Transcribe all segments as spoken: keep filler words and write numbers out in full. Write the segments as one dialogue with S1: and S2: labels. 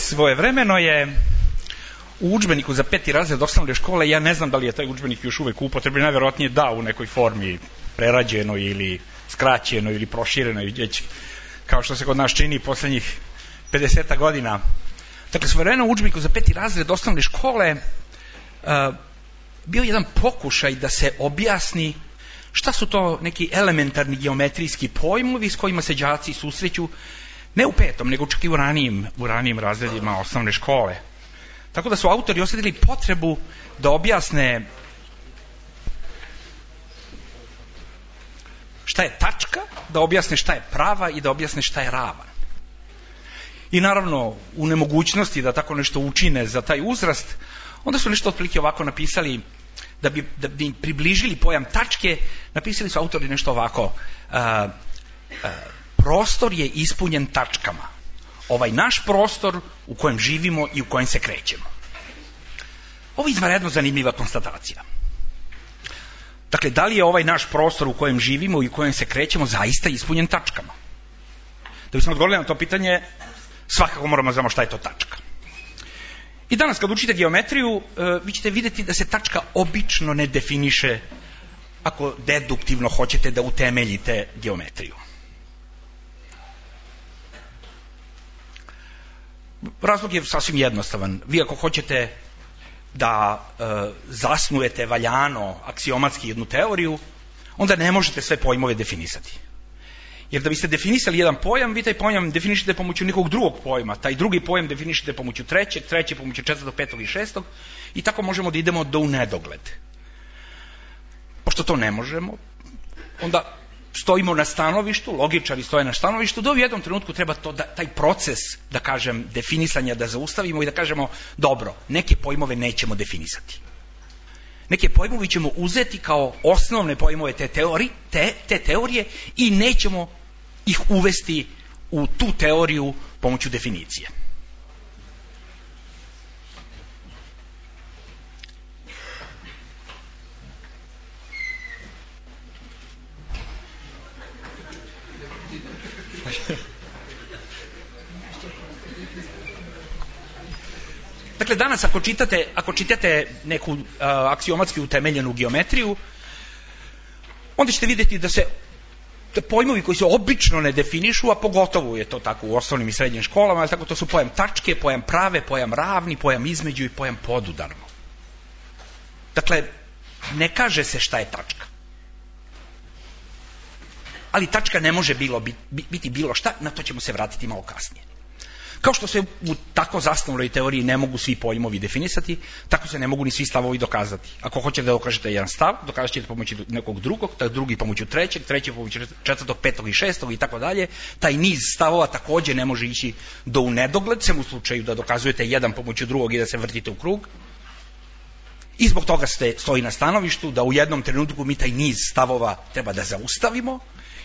S1: Svojevremeno je u udžbeniku za peti razred osnovne škole, ja ne znam da li je taj udžbenik još uvek u upotrebi, najverovatnije da, u nekoj formi prerađenoj ili skraćenoj ili proširenoj, već kao što se kod nas čini poslednjih pedeset godina. Dakle, svojevremeno u udžbeniku za peti razred osnovne škole uh, bio jedan pokušaj da se objasni šta su to neki elementarni geometrijski pojmovi s kojima se đaci susreću, ne u petom, nego čak i u ranijim, u ranijim razredima osnovne škole. Tako da su autori osjetili potrebu da objasne šta je tačka, da objasne šta je prava i da objasne šta je ravan. I naravno, u nemogućnosti da tako nešto učine za taj uzrast, onda su nešto otprilike ovako napisali, da bi, da bi približili pojam tačke, napisali su autori nešto ovako. A, a, prostor je ispunjen tačkama. Ovaj naš prostor u kojem živimo i u kojem se krećemo. Ovo je izvanredno zanimljiva konstatacija. Dakle, da li je ovaj naš prostor u kojem živimo i u kojem se krećemo zaista ispunjen tačkama? Da bismo odgovorili na to pitanje, svakako moramo znamo šta je to tačka. I danas kad učite geometriju, vi ćete vidjeti da se tačka obično ne definiše ako deduktivno hoćete da utemeljite geometriju. Razlog je sasvim jednostavan. Vi ako hoćete da e, zasnujete valjano aksiomatski jednu teoriju, onda ne možete sve pojmove definisati. Jer da biste definisali jedan pojam, vi taj pojam definišete pomoću nekog drugog pojma, taj drugi pojam definišete pomoću trećeg, treće pomoću četvrtog, petog i šestog i tako možemo da idemo do u nedogled. Pošto to ne možemo, onda stojimo na stanovištu, logičari stoje na stanovištu, da u jednom trenutku treba to da, taj proces, da kažem, definisanja da zaustavimo i da kažemo, dobro, neke pojmove nećemo definisati. Neke pojmove ćemo uzeti kao osnovne pojmove te, teori, te, te teorije i nećemo ih uvesti u tu teoriju pomoću definicije. Dakle, danas ako čitate, ako čitate neku uh, aksiomatski utemeljenu geometriju, onda ćete vidjeti da se da pojmovi koji se obično ne definišu, a pogotovo je to tako u osnovnim i srednjim školama, ali tako to su pojam tačke, pojam prave, pojam ravni, pojam između i pojam podudarno. Dakle, ne kaže se šta je tačka. Ali tačka ne može bilo biti, biti bilo šta, na to ćemo se vratiti malo kasnije. Kao što se u tako zasnovnoj teoriji ne mogu svi pojmovi definisati, tako se ne mogu ni svi stavovi dokazati. Ako hoćete da dokažete jedan stav, dokazat ćete pomoću nekog drugog, taj drugi pomoću trećeg, treći pomoću četvrtog, petog i šestog i tako dalje. Taj niz stavova također ne može ići do u nedogled, sem u slučaju da dokazujete jedan pomoću drugog i da se vrtite u krug. I zbog toga ste stoji na stanovištu da u jednom trenutku mi taj niz stavova treba da zaustavimo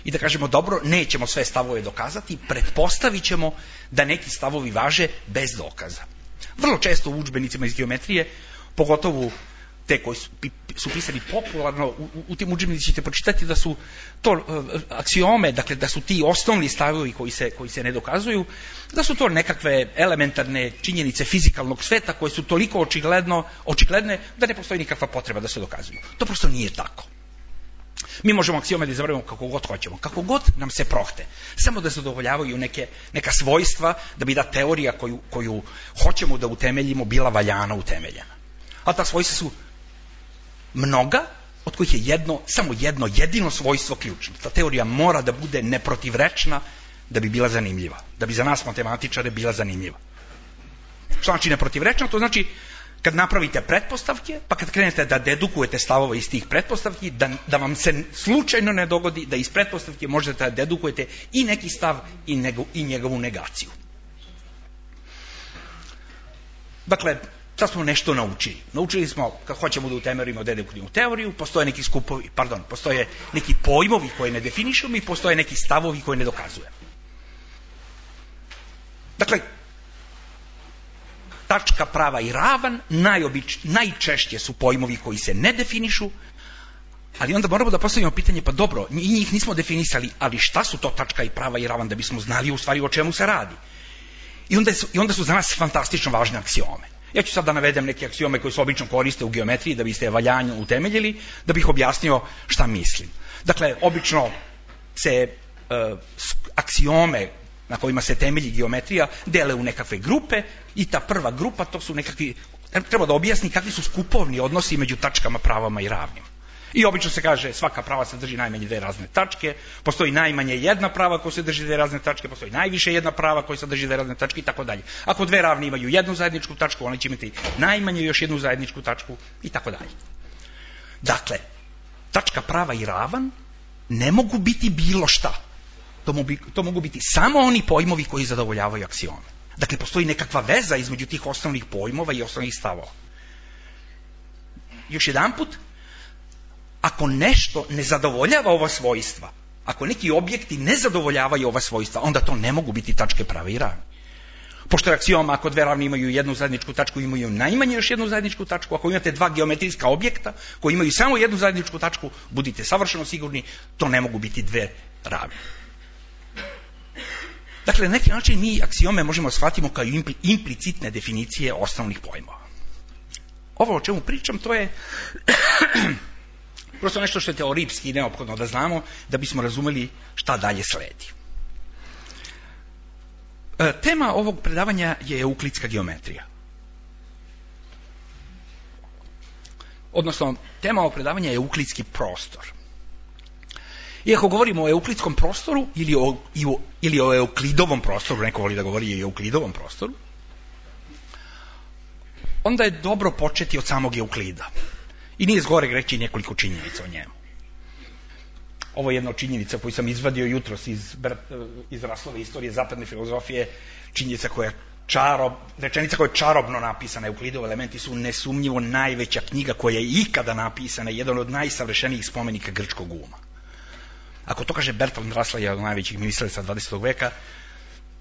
S1: i da kažemo, dobro, nećemo sve stavove dokazati, pretpostavit ćemo da neki stavovi važe bez dokaza. Vrlo često u udžbenicima iz geometrije, pogotovo te koji su, su pisani popularno, u, u tim udžbenicima ćete pročitati da su to uh, aksiome, dakle da su ti osnovni stavovi koji se, koji se ne dokazuju, da su to nekakve elementarne činjenice fizikalnog sveta koje su toliko očigledno, očigledne da ne postoji nikakva potreba da se dokazuju. To prosto nije tako. Mi možemo aksiome da izaberemo kako god hoćemo, kako god nam se prohte. Samo da zadovoljavaju neke, neka svojstva da bi da teorija koju, koju hoćemo da utemeljimo bila valjana utemeljena. A ta svojstva su mnoga, od kojih je jedno, samo jedno, jedino svojstvo ključno. Ta teorija mora da bude neprotivrečna da bi bila zanimljiva. Da bi za nas matematičare bila zanimljiva. Što znači neprotivrečna? To znači kad napravite pretpostavke, pa kad krenete da dedukujete stavove iz tih pretpostavki, da, da vam se slučajno ne dogodi da iz pretpostavke možete da dedukujete i neki stav i, nego, i njegovu negaciju. Dakle, sad smo nešto naučili. Naučili smo, kad hoćemo da utemeljimo deduktivnu teoriju, postoje neki skupovi, pardon, postoje neki pojmovi koje ne definišemo i postoje neki stavovi koje ne dokazujemo. Dakle, tačka, prava i ravan najobič, najčešće su pojmovi koji se ne definišu, ali onda moramo da postavimo pitanje, pa dobro, njih nismo definisali, ali šta su to tačka i prava i ravan da bismo znali u stvari o čemu se radi. I onda, su, I onda su za nas fantastično važne aksiome. Ja ću sad da navedem neke aksiome koje se obično koriste u geometriji da biste valjanje utemeljili, da bih objasnio šta mislim. Dakle, obično se uh, aksiome na kojima se temelji geometrija dele u nekakve grupe i ta prva grupa, to su nekakvi, treba da objasni kakvi su skupovni odnosi među tačkama, pravama i ravnim. I obično se kaže svaka prava se drži najmanje dve razne tačke, postoji najmanje jedna prava koja se drži dve razne tačke, postoji najviše jedna prava koja se drži dve razne tačke i tako dalje. Ako dve ravne imaju jednu zajedničku tačku, one će imati najmanje još jednu zajedničku tačku i tako dalje. Dakle, tačka, prava i ravan ne mogu biti bilo šta. To mogu, to mogu biti samo oni pojmovi koji zadovoljavaju aksiome. Dakle, postoji nekakva veza između tih osnovnih pojmova i osnovnih stavova. Još jedan put, ako nešto ne zadovoljava ova svojstva, ako neki objekti ne zadovoljavaju ova svojstva, onda to ne mogu biti tačke, prave i ravne. Pošto je aksioma, ako dve ravne imaju jednu zajedničku tačku, imaju najmanje još jednu zajedničku tačku, ako imate dva geometrijska objekta koji imaju samo jednu zajedničku tačku, budite savršeno sigurni, to ne mogu biti dve ravne. Dakle, na neki način mi aksiome možemo shvatiti kao implicitne definicije osnovnih pojmova. Ovo o čemu pričam, to je prosto nešto što je teorijski neophodno da znamo da bismo razumeli šta dalje sledi. E, tema ovog predavanja je euklidska geometrija. Odnosno, tema ovog predavanja je euklidski prostor. Iako govorimo o euklidskom prostoru ili o, ili o euklidovom prostoru, neko voli da govori i o euklidovom prostoru, onda je dobro početi od samog Euklida. I nije zgoreg reći nekoliko činjenica o njemu. Ovo je jedna od činjenica koju sam izvadio jutros iz, iz Raslove istorije zapadne filozofije, činjenica koja je čarob, rečenica koja je čarobno napisana. Euklidovi elementi su nesumnjivo najveća knjiga koja je ikada napisana, jedan od najsavršenijih spomenika grčkog uma. Ako to kaže Bertrand Russell, jedan od najvećih misleca dvadesetog veka,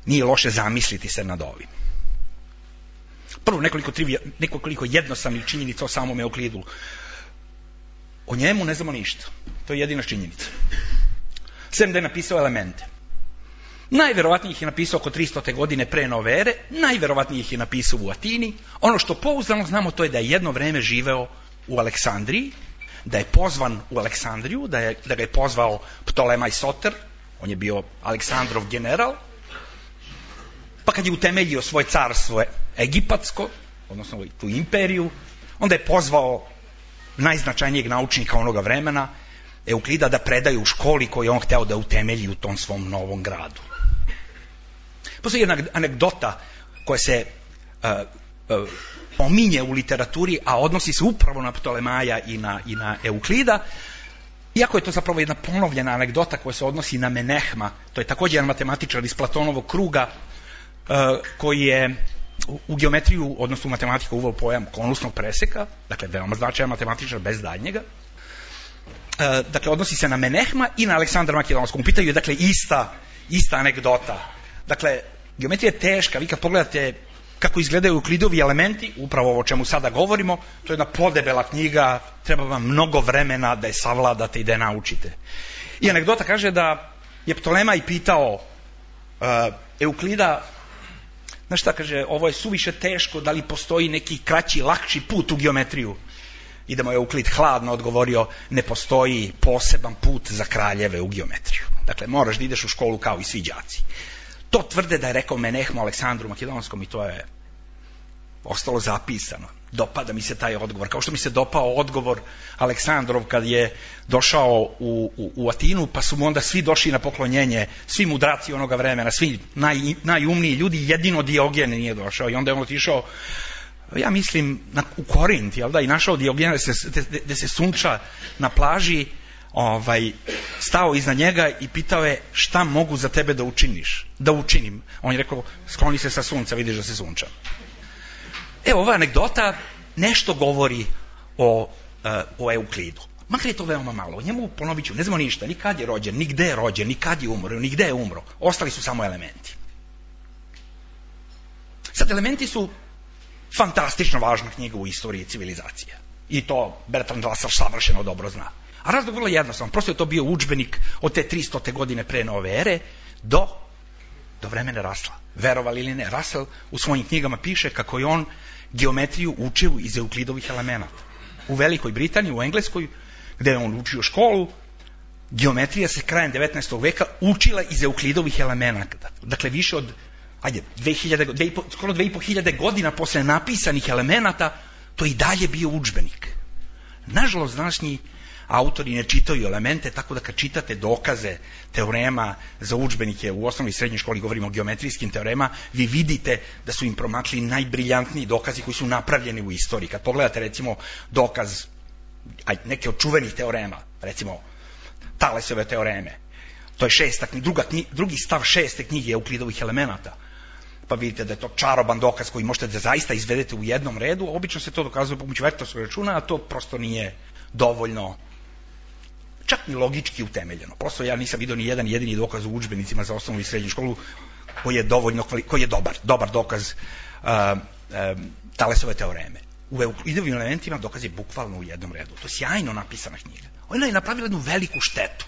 S1: nije loše zamisliti se nad ovim. Prvo, nekoliko, trivija, nekoliko jednostavnih činjenica o samom Euklidu. O njemu ne znamo ništa. To je jedina činjenica. Sem da je napisao elemente. Najverovatnije ih je napisao oko tristote godine pre nove ere, najverovatnije ih je napisao u Atini. Ono što pouzdano znamo, to je da je jedno vreme živeo u Aleksandriji, da je pozvan u Aleksandriju, da, je, da ga je pozvao Ptolemaj Soter, on je bio Aleksandrov general, pa kad je utemeljio svoje carstvo egipatsko, odnosno tu imperiju, onda je pozvao najznačajnijeg naučnika onoga vremena, Euklida, da predaje u školi koju je on hteo da utemelji u tom svom novom gradu. Postoji jedna anegdota koja se uh, uh, pominje u literaturi, a odnosi se upravo na Ptolemaja i na, i na Euklida, iako je to zapravo jedna ponovljena anegdota koja se odnosi na Menehma, to je također jedan matematičar iz Platonovog kruga, uh, koji je u, u geometriju, odnosno u matematiku uveo pojam konusnog preseka, dakle veoma značajan matematičar bez daljnjega. Uh, dakle, odnosi se na Menehma i na Aleksandra Makedonskog. U pitanju je, dakle, ista, ista anegdota. Dakle, geometrija je teška. Vi kad pogledate kako izgledaju Euklidovi elementi, upravo ovo o čemu sada govorimo, to je jedna podebela knjiga, treba vam mnogo vremena da je savladate i da je naučite. I anegdota kaže da je Ptolemaj pitao uh, Euklida, znaš šta, kaže, ovo je suviše teško, da li postoji neki kraći, lakši put u geometriju? I da mu je Euklid hladno odgovorio, ne postoji poseban put za kraljeve u geometriju. Dakle, moraš da ideš u školu kao i svi đaci. To tvrde da je rekao Menehmu Aleksandru Makedonskom i to je ostalo zapisano. Dopada mi se taj odgovor. Kao što mi se dopao odgovor Aleksandrov kad je došao u, u, u Atinu, pa su mu onda svi došli na poklonjenje, svi mudraci onoga vremena, svi naj, najumniji ljudi, jedino Diogen nije došao. I onda je on otišao, ja mislim, na, u Korint, jel da, i našao Diogena gde se sunča na plaži, ovaj, stao iznad njega i pitao je, šta mogu za tebe da učiniš? Da učinim. On je rekao, skloni se sa sunca, vidiš da se sunča. Evo, ova anegdota nešto govori o, uh, o Euklidu. Makar je to veoma malo. O njemu, ponovit ću, ne znamo ništa, ni kad je rođen, ni gde je rođen, ni kad je umro, ni gde je umro. Ostali su samo elementi. Sad, elementi su fantastično važna knjiga u istoriji civilizacije. I to Bertrand Russell savršeno dobro zna. A razlog vrlo jednostavno. Prosto je to bio udžbenik od te tristote godine pre nove ere do do vremena Rasla. Verovali ili ne, Russell u svojim knjigama piše kako je on geometriju učio iz Euklidovih elemenata. U Velikoj Britaniji, u Engleskoj, gde je on učio školu, geometrija se krajem devetnaestog veka učila iz Euklidovih elemenata. Dakle, više od, ajde, dve hiljade, dve, skoro dve i po hiljade godina posle napisanih elemenata, to i dalje bio udžbenik. Nažalost, današnji autori ne čitaju elemente, tako da kad čitate dokaze teorema za udžbenike u osnovnoj i srednjoj školi, govorimo o geometrijskim teorema, vi vidite da su im promakli najbriljantniji dokazi koji su napravljeni u istoriji. Kad pogledate recimo dokaz neke od čuvenih teorema, recimo Talesove teoreme, to je šesta, druga, drugi stav šeste knjige Euklidovih elemenata, pa vidite da je to čaroban dokaz koji možete da zaista izvedete u jednom redu. Obično se to dokazuje pomoću vektorskog računa, a to prosto nije dovoljno, čak ni logički utemeljeno. Prosto ja nisam vidio ni jedan jedini dokaz u udžbenicima za osnovnu i srednju školu koji je dovoljno, koji je dobar, dobar dokaz uh, uh, Talesove teoreme. U Euklidovim elementima dokaz je bukvalno u jednom redu. To je sjajno napisana knjiga. Ona je napravila jednu veliku štetu.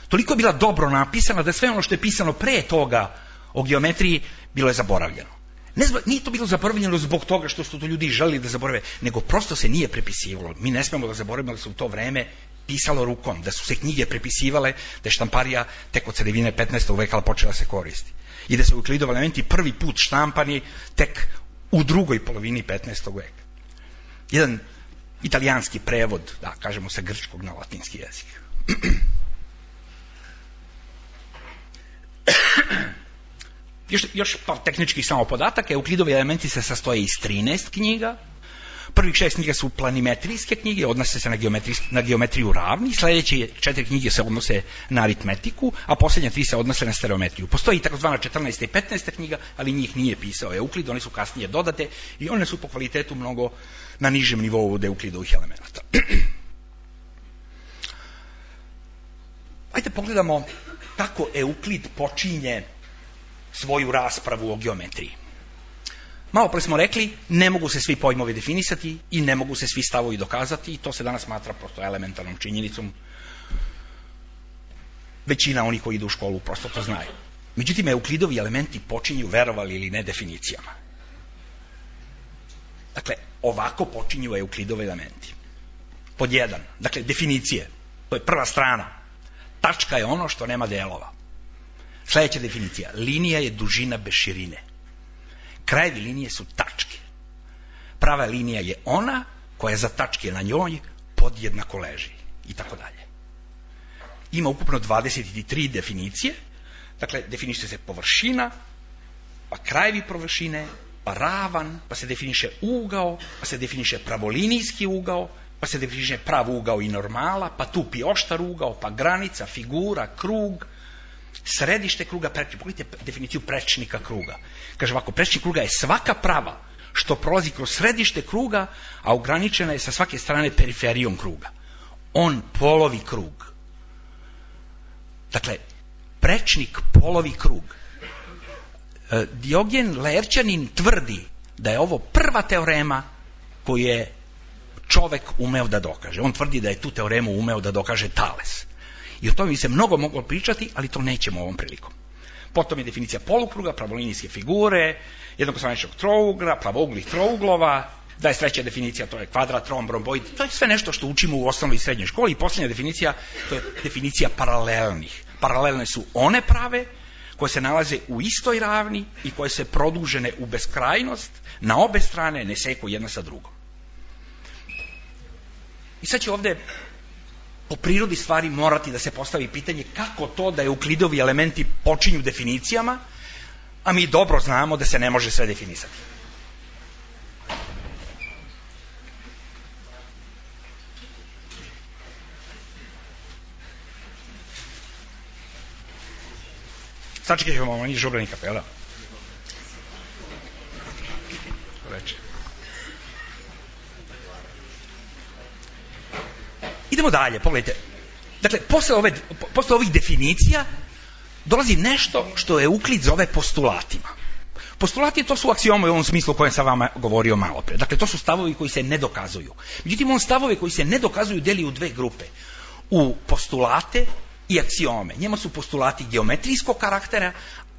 S1: Toliko je bila dobro napisana da sve ono što je pisano pre toga o geometriji bilo je zaboravljeno. Ne zbog, nije to bilo zaboravljeno zbog toga što su to ljudi želeli da zaborave, nego prosto se nije prepisivalo. Mi ne smemo da zaboravimo da se u to vreme pisalo rukom, da su se knjige prepisivale, da je štamparija tek od sredine petnaestog veka počela se koristi. I da su Euklidovi elementi prvi put štampani tek u drugoj polovini petnaestog veka. Jedan italijanski prevod, da kažemo sa grčkog na latinski jezik. Još, još par tehničkih samo podataka. Euklidovi elementi se sastoje iz trinaest knjiga. Prvih šest knjiga su planimetrijske knjige, odnose se na, na geometriju ravni, sledeće četiri knjige se odnose na aritmetiku, a posljednje tri se odnose na stereometriju. Postoji takozvana četrnaesta i petnaesta knjiga, ali njih nije pisao Euklid, one su kasnije dodate i one su po kvalitetu mnogo na nižem nivou od Euklidovih elemenata. Ajde pogledamo kako Euklid počinje svoju raspravu o geometriji. Malo pre smo rekli, ne mogu se svi pojmovi definisati i ne mogu se svi stavovi dokazati i to se danas smatra prosto elementarnom činjenicom. Većina onih koji idu u školu prosto to znaju. Međutim, Euklidovi elementi počinju, verovali ili ne, definicijama. Dakle, ovako počinju Euklidovi elementi. Pod jedan, dakle, definicije. To je prva strana. Tačka je ono što nema delova. Sljedeća definicija. Linija je dužina bez širine. Krajevi linije su tačke. Prava linija je ona koja za tačke na njoj podjednako leži. I tako dalje. Ima ukupno dvadeset tri definicije. Dakle, definiše se površina, pa krajevi površine, pa ravan, pa se definiše ugao, pa se definiše pravolinijski ugao, pa se definiše prav ugao i normala, pa tupi oštar ugao, pa granica, figura, krug, središte kruga, pogledajte definiciju prečnika kruga. Kaže ovako, prečnik kruga je svaka prava što prolazi kroz središte kruga, a ograničena je sa svake strane periferijom kruga. On polovi krug. Dakle, prečnik polovi krug. Diogen Laerćanin tvrdi da je ovo prva teorema koju je čovek umeo da dokaže. On tvrdi da je tu teoremu umeo da dokaže Tales. I o tome bi se mnogo moglo pričati, ali to nećemo ovom prilikom. Potom je definicija polukruga, pravolinijske figure, jednokostraničnog trougla, pravouglih trouglova, dvadeset treća definicija, to je kvadrat, romb, romboid, to je sve nešto što učimo u osnovnoj i srednjoj školi. I posljednja definicija, to je definicija paralelnih. Paralelne su one prave koje se nalaze u istoj ravni i koje se produžene u beskrajnost, na obe strane ne seku jedna sa drugom. I sad će ovde po prirodi stvari morati da se postavi pitanje kako to da Euklidovi elementi počinju definicijama, a mi dobro znamo da se ne može sve definisati. Sačekaj ćemo malo, nije žubrani kapela. Reče. Idemo dalje, pogledajte. Dakle, posle, ove, posle ovih definicija dolazi nešto što Euklid zove postulatima. Postulati to su aksiome u ovom smislu o kojem sam vama govorio malo pre. Dakle, to su stavovi koji se ne dokazuju. Međutim, on stavove koji se ne dokazuju deli u dve grupe. U postulate i aksiome. Njema su postulati geometrijskog karaktera,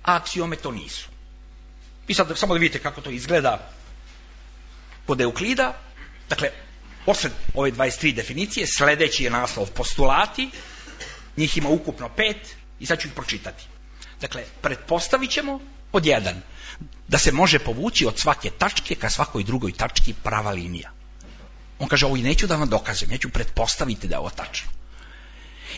S1: a aksiome to nisu. I sad samo da vidite kako to izgleda kod Euklida. Dakle, posle ove dvadeset tri definicije, sledeći je naslov postulati, njih ima ukupno pet i sad ću ih pročitati. Dakle, pretpostavit ćemo pod jedan, da se može povući od svake tačke ka svakoj drugoj tački prava linija. On kaže, ovo i neću da vam dokazujem, ja ću pretpostaviti da je ovo tačno.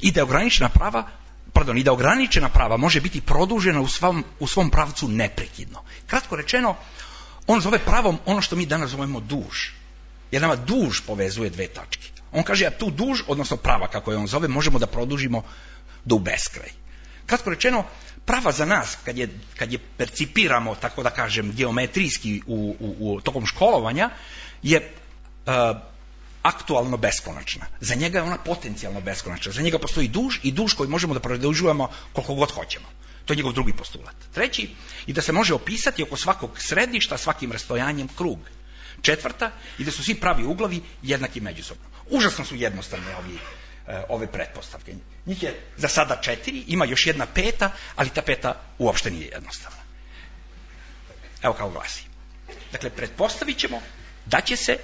S1: I da je ograničena prava, pardon, i da ograničena prava može biti produžena u svom, u svom pravcu neprekidno. Kratko rečeno, on zove pravom ono što mi danas zovemo duž. Jer nama duž povezuje dve tačke. On kaže, a tu duž, odnosno prava, kako je on zove, možemo da produžimo do u beskraj. Kratko rečeno, prava za nas, kad je, kad je percipiramo, tako da kažem, geometrijski u, u, u tokom školovanja, je uh, aktualno beskonačna. Za njega je ona potencijalno beskonačna. Za njega postoji duž i duž koji možemo da produžujemo koliko god hoćemo. To je njegov drugi postulat. Treći, i da se može opisati oko svakog središta svakim rastojanjem krug. Četvrta, i da su svi pravi uglovi jednaki međusobno. Užasno su jednostavne ovi, ove pretpostavke. Njih je za sada četiri, ima još jedna peta, ali ta peta uopšte nije jednostavna. Evo kako glasi. Dakle, pretpostavit ćemo da će se,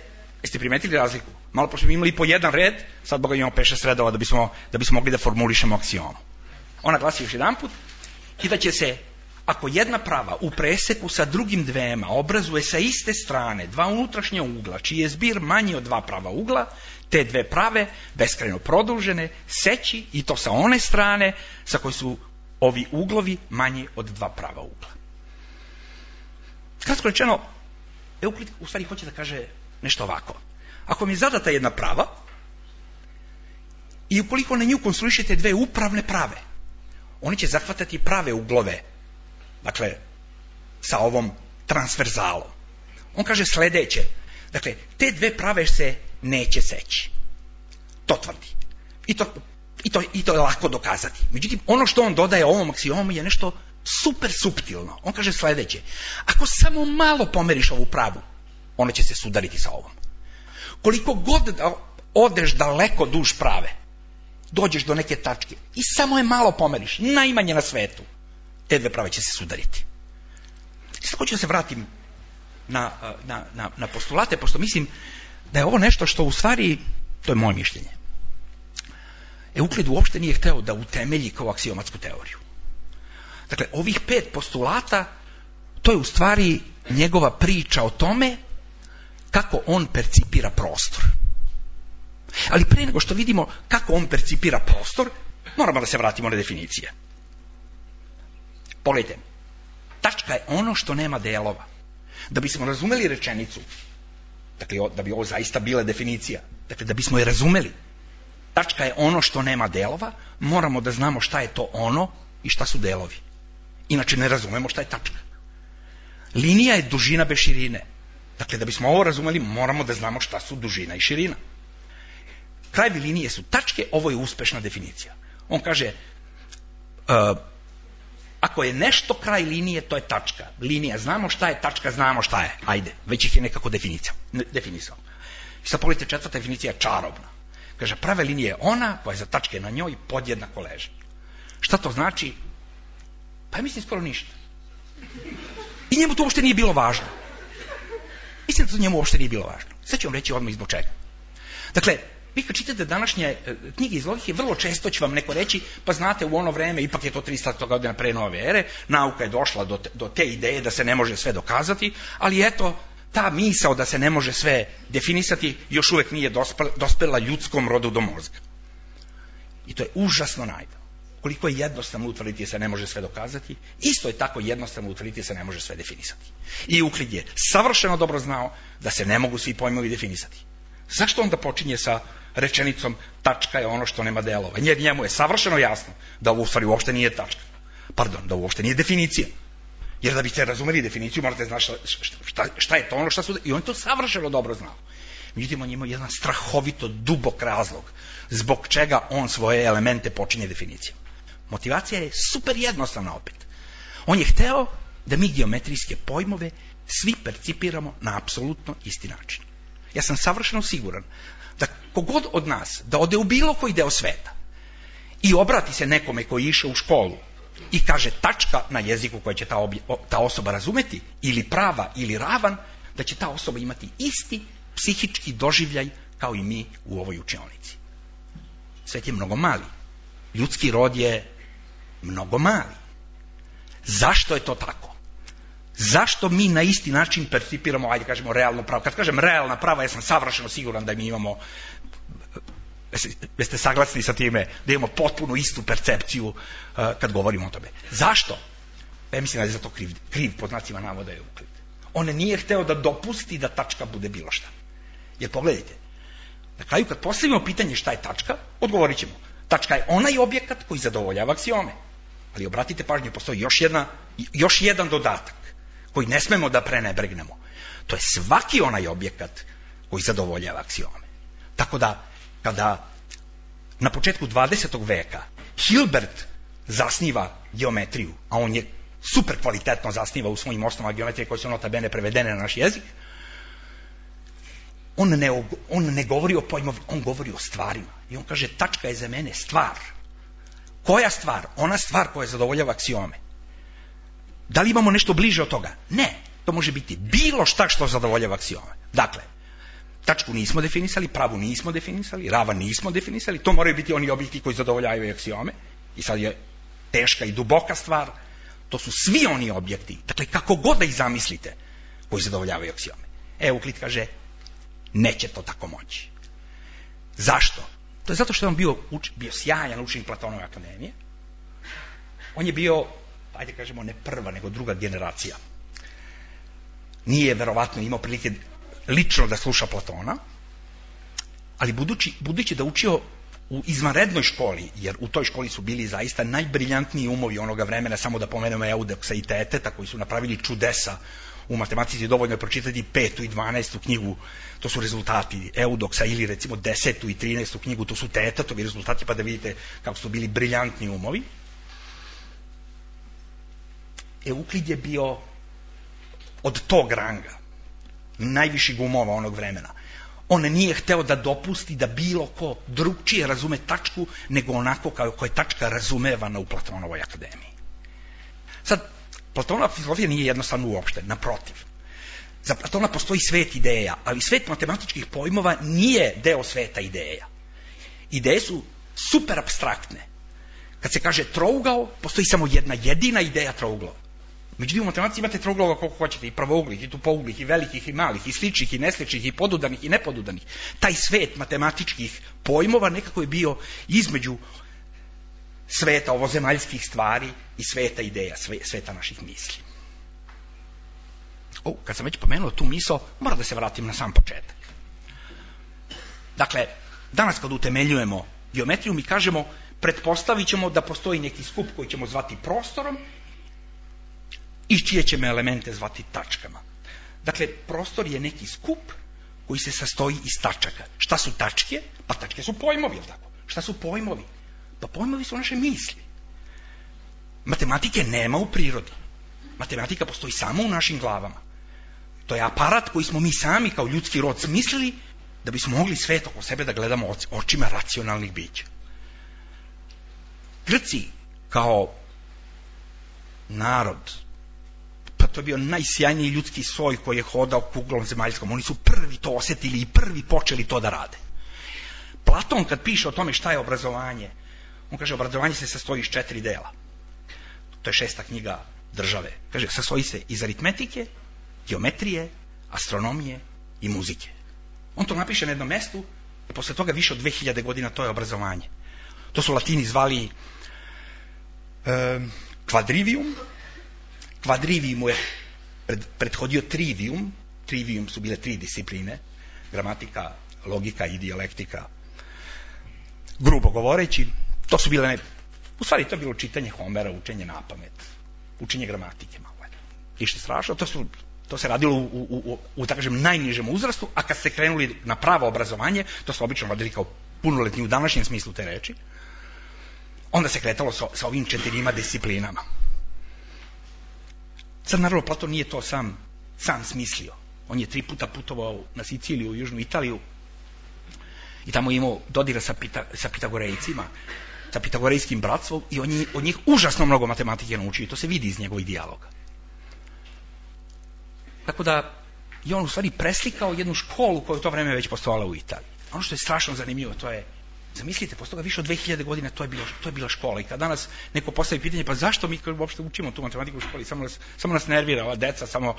S1: jeste primetili razliku? Malo pošto smo imali po jedan red, sad boga imamo pet šest redova da bismo, da bismo mogli da formulišemo aksiomu. Ona glasi još jedan put, i da će se, ako jedna prava u preseku sa drugim dvema obrazuje sa iste strane dva unutrašnja ugla, čiji je zbir manji od dva prava ugla, te dve prave, beskrajno produžene, seći i to sa one strane sa koje su ovi uglovi manji od dva prava ugla. Kratko rečeno, Euklid u stvari hoće da kaže nešto ovako. Ako mi je zadata jedna prava i ukoliko na nju konstruišete dve upravne prave, oni će zahvatati prave uglove, dakle, sa ovom transverzalom. On kaže sledeće, dakle, te dve prave se neće seći. To tvrdi. I to, i to, i to je lako dokazati. Međutim, ono što on dodaje ovom aksiomu je nešto super suptilno. On kaže sledeće, ako samo malo pomeriš ovu pravu, ona će se sudariti sa ovom. Koliko god da odeš daleko duž prave, dođeš do neke tačke i samo je malo pomeriš, najmanje na svetu, te dve prave će se sudariti. I sad hoću da se vratim na, na, na, na postulate, pošto mislim da je ovo nešto što u stvari, to je moje mišljenje, Euklid uopšte nije hteo da utemelji kao aksiomatsku teoriju. Dakle, ovih pet postulata, to je u stvari njegova priča o tome kako on percipira prostor. Ali pre nego što vidimo kako on percipira prostor, moramo da se vratimo na definicije. Pogledajte, tačka je ono što nema delova. Da bismo razumeli rečenicu, dakle, da bi ovo zaista bila definicija, dakle, da bismo je razumeli, tačka je ono što nema delova, moramo da znamo šta je to ono i šta su delovi. Inače ne razumemo šta je tačka. Linija je dužina bez širine. Dakle, da bismo ovo razumeli, moramo da znamo šta su dužina i širina. Krajevi linije su tačke, ovo je uspešna definicija. On kaže, uh, ako je nešto kraj linije, to je tačka. Linija, znamo šta je, tačka, znamo šta je. Ajde, već ih je nekako definisao. I sad pogledajte, četvrta definicija je čarobna. Kaže, prava linija je ona koja je za tačke na njoj podjednako leži. Šta to znači? Pa ja mislim skoro ništa. I njemu to uopšte nije bilo važno. Mislim da to njemu uopšte nije bilo važno. Sad ću vam reći odmah izbog čega. Dakle, vi kad čitate današnje knjige iz logike, vrlo često će vam neko reći, pa znate, u ono vreme, ipak je to tristo godina pre nove ere, nauka je došla do te, do te ideje da se ne može sve dokazati, ali eto, ta misao da se ne može sve definisati još uvek nije dospela ljudskom rodu do mozga. I to je užasno naivno. Koliko je jednostavno utvrditi da se ne može sve dokazati, isto je tako jednostavno utvrditi da se ne može sve definisati. I Euklid je savršeno dobro znao da se ne mogu svi pojmovi definisati. Zašto onda počinje sa rečenicom tačka je ono što nema delova? Jer njemu je savršeno jasno da ovo u stvari uopšte nije tačka. Pardon, da ovo uopšte nije definicija. Jer da biste razumeli definiciju, morate znati šta, šta, šta je to ono šta su... I on to savršeno dobro znao. Međutim, on ima jedan strahovito dubok razlog zbog čega on svoje elemente počinje definicijom. Motivacija je super jednostavna opet. On je hteo da mi geometrijske pojmove svi percipiramo na apsolutno isti način. Ja sam savršeno siguran da kogod od nas da ode u bilo koji deo sveta i obrati se nekome koji je išao u školu I kaže tačka na jeziku koje će ta, obje, ta osoba razumeti, ili prava ili ravan, da će ta osoba imati isti psihički doživljaj kao i mi u ovoj učionici. Svet je mnogo mali. Ljudski rod je mnogo mali. Zašto je to tako? Zašto mi na isti način percipiramo, ajde kažemo, realno pravo? Kad kažem realna prava, ja sam savršeno siguran da mi imamo, jeste saglasni sa time, da imamo potpuno istu percepciju uh, kad govorimo o tome. Zašto? Ja mislim da je za to kriv, kriv pod znacima navoda je Euklid. On nije hteo da dopusti da tačka bude bilo šta. Jer pogledajte, na kraju kad postavimo pitanje šta je tačka, odgovorit ćemo. Tačka je onaj objekat koji zadovoljava aksiome. Ali obratite pažnju, postoji još, jedna, još jedan dodatak koji ne smemo da prenebregnemo. To je svaki onaj objekat koji zadovoljava aksiome. Tako da, kada na početku dvadesetog veka Hilbert zasniva geometriju, a on je super kvalitetno zasniva u svojim osnovama geometrije koje su nota bene prevedene na naš jezik, on ne, on ne govori o pojmovi, on govori o stvarima. I on kaže, tačka je za mene stvar. Koja stvar? Ona stvar koja zadovoljava aksiome. Da li imamo nešto bliže od toga? Ne. To može biti bilo šta što zadovoljava aksiome. Dakle, tačku nismo definisali, pravu nismo definisali, ravan nismo definisali, to moraju biti oni objekti koji zadovoljavaju aksiome. I sad je teška i duboka stvar. To su svi oni objekti, dakle kako god da ih zamislite, koji zadovoljavaju aksiome. Euklid kaže, neće to tako moći. Zašto? To je zato što je on bio, uč, bio sjajan učenik Platonove akademije. On je bio, ajde kažemo, ne prva, nego druga generacija. Nije verovatno imao prilike lično da sluša Platona, ali budući, budući da učio u izvanrednoj školi, jer u toj školi su bili zaista najbriljantniji umovi onoga vremena, samo da pomenemo Eudoksa i Teteta, koji su napravili čudesa u matematici, dovoljno je pročitati petu i dvanaestu knjigu, to su rezultati Eudoksa, ili recimo desetu i trinaestu knjigu, to su Tetetovi rezultati, pa da vidite kako su bili briljantni umovi. Euklid je bio od tog ranga, najviših umova onog vremena. On nije hteo da dopusti da bilo ko drugčije razume tačku nego onako kako je tačka razumevana u Platonovoj akademiji. Sad, Platonova filozofija nije jednostavno uopšte, naprotiv. Za Platona postoji svet ideja, ali svet matematičkih pojmova nije deo sveta ideja. Ideje su super apstraktne. Kad se kaže trougao, postoji samo jedna jedina ideja trouglova. Međutim, u matematici imate trouglova koliko hoćete, i pravouglih, i tupouglih, i velikih, i malih, i sličnih, i nesličnih, i podudanih, i nepodudanih. Taj svet matematičkih pojmova nekako je bio između sveta ovozemaljskih stvari i sveta ideja, sveta naših misli. O, kad sam već pomenuo tu misao, moram da se vratim na sam početak. Dakle, danas kad utemeljujemo geometriju, mi kažemo, pretpostavit ćemo da postoji neki skup koji ćemo zvati prostorom, i čije ćemo elemente zvati tačkama. Dakle, prostor je neki skup koji se sastoji iz tačaka. Šta su tačke? Pa tačke su pojmovi, jel tako? Šta su pojmovi? Pa pojmovi su naše misli. Matematike nema u prirodi. Matematika postoji samo u našim glavama. To je aparat koji smo mi sami kao ljudski rod smislili da bismo mogli svet oko sebe da gledamo očima racionalnih bića. Grci kao narod, pa to je bio najsjajniji ljudski soj koji je hodao kuglom zemaljskom. Oni su prvi to osjetili i prvi počeli to da rade. Platon kad piše o tome šta je obrazovanje, on kaže obrazovanje se sastoji iz četiri dela. To je šesta knjiga Države. Kaže, sastoji se iz aritmetike, geometrije, astronomije i muzike. On to napiše na jednom mestu i posle toga više od dve hiljade godina to je obrazovanje. To su Latini zvali um, quadrivium. Quadrivium je pred, prethodio trivium. Trivium su bile tri discipline, gramatika, logika i dijalektika. Grubo govoreći, to su bile, ne, u stvari to je bilo čitanje Homera, učenje na pamet, učenje gramatike malo. Ništa strašno, to, su, to se radilo u, u, u, u tako kažem, najnižem uzrastu, a kad ste krenuli na pravo obrazovanje, to su obično radili kao punoletni u današnjem smislu te reči, onda se kretalo sa, sa ovim četirima disciplinama. Sad, naravno, Platon nije to sam, sam smislio. On je tri puta putovao na Siciliju, u Južnu Italiju, i tamo je imao dodira sa, pita, sa Pitagorejcima. sa pitagorejskim bratstvom i on od njih užasno mnogo matematike naučio i to se vidi iz njegovih dijaloga. Tako da je on u stvari preslikao jednu školu koja u to vreme već postojala u Italiji. Ono što je strašno zanimljivo, to je, zamislite, posle toga više od dve hiljade godina to je, bilo, to je bila škola i kad danas neko postavi pitanje, pa zašto mi uopšte učimo tu matematiku u školi, samo nas, samo nas nervira ova deca, samo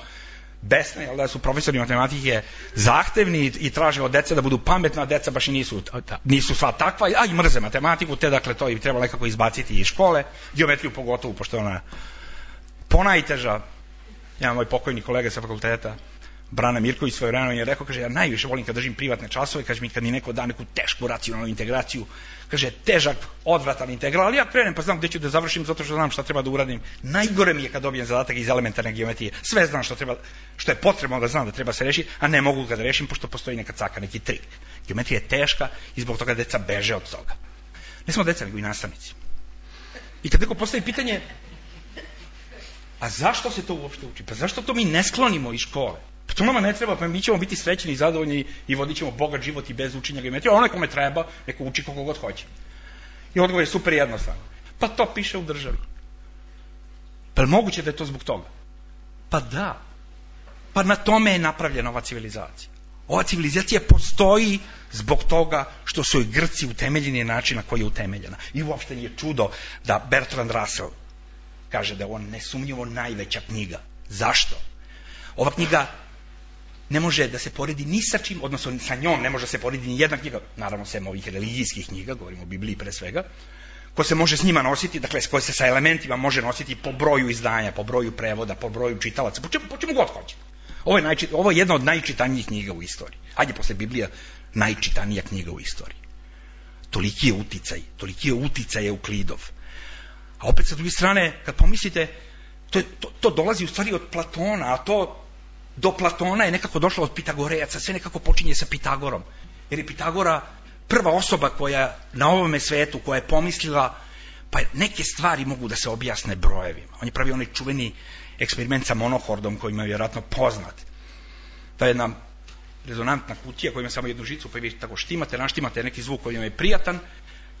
S1: besna, jel da su profesori matematike zahtevni i traže od dece da budu pametna, a deca baš i nisu, nisu sva takva, a i mrze matematiku, te dakle to i treba nekako izbaciti iz škole, geometriju pogotovo, pošto je ona ponajteža. Jedan moj pokojni kolega sa fakulteta, Brana Mirković, svoje vremeno je rekao, kaže, ja najviše volim kad držim privatne časove, kaže mi kad mi neko da neku tešku racionalnu integraciju, kaže, težak, odvratan integral, ali ja krenem pa znam gde ću da završim zato što znam šta treba da uradim. Najgore mi je kad dobijem zadatak iz elementarne geometrije. Sve znam što treba, što je potrebno da znam da treba se rešiti, a ne mogu ga da rešim pošto postoji neka caka, neki trik. Geometrija je teška i zbog toga deca beže od toga. Ne samo deca, nego i nastavnici. I kad neko postavi pitanje, a zašto se to uopšte uči? Pa zašto to mi ne sklonimo iz škole? Pa to nama ne treba, pa mi ćemo biti srećni i zadovoljni i vodit ćemo bogat život i bez učenja geometrije, a onaj kome treba, neko uči koliko god hoće. I odgovor je super jednostavno. Pa to piše u državi. Pa je moguće da je to zbog toga? Pa da. Pa na tome je napravljena ova civilizacija. Ova civilizacija postoji zbog toga što su i Grci utemeljeni na način na koji je utemeljena. I uopšte nije čudo da Bertrand Russell kaže da je on nesumnjivo najveća knjiga. Zašto? Ova knjiga ne može da se poredi ni sa čim, odnosno sa njom ne može da se poredi ni jedna knjiga, naravno sem ovih religijskih knjiga, govorimo o Bibliji pre svega, ko se može s njima nositi, dakle koje se sa elementima može nositi po broju izdanja, po broju prevoda, po broju čitalaca, po čemu, po čemu god hoće. Ovo je, najčit, ovo je jedna od najčitanijih knjiga u istoriji. Ajde, posle Biblija, najčitanija knjiga u istoriji. Toliki je uticaj, toliki je uticaj Euklidov. A opet sa druge strane, kad pomislite, to, to, to dolazi u stvari od Platona, a to do Platona je nekako došlo od Pitagorejaca, sve nekako počinje sa Pitagorom. Jer je Pitagora prva osoba koja na ovome svetu, koja je pomislila, pa neke stvari mogu da se objasne brojevima. On je pravio onaj čuveni eksperiment sa monohordom koji je vjerojatno poznat. To je jedna rezonantna kutija koja ima samo jednu žicu, pa vi tako štimate, naštimate neki zvuk koji vam je prijatan.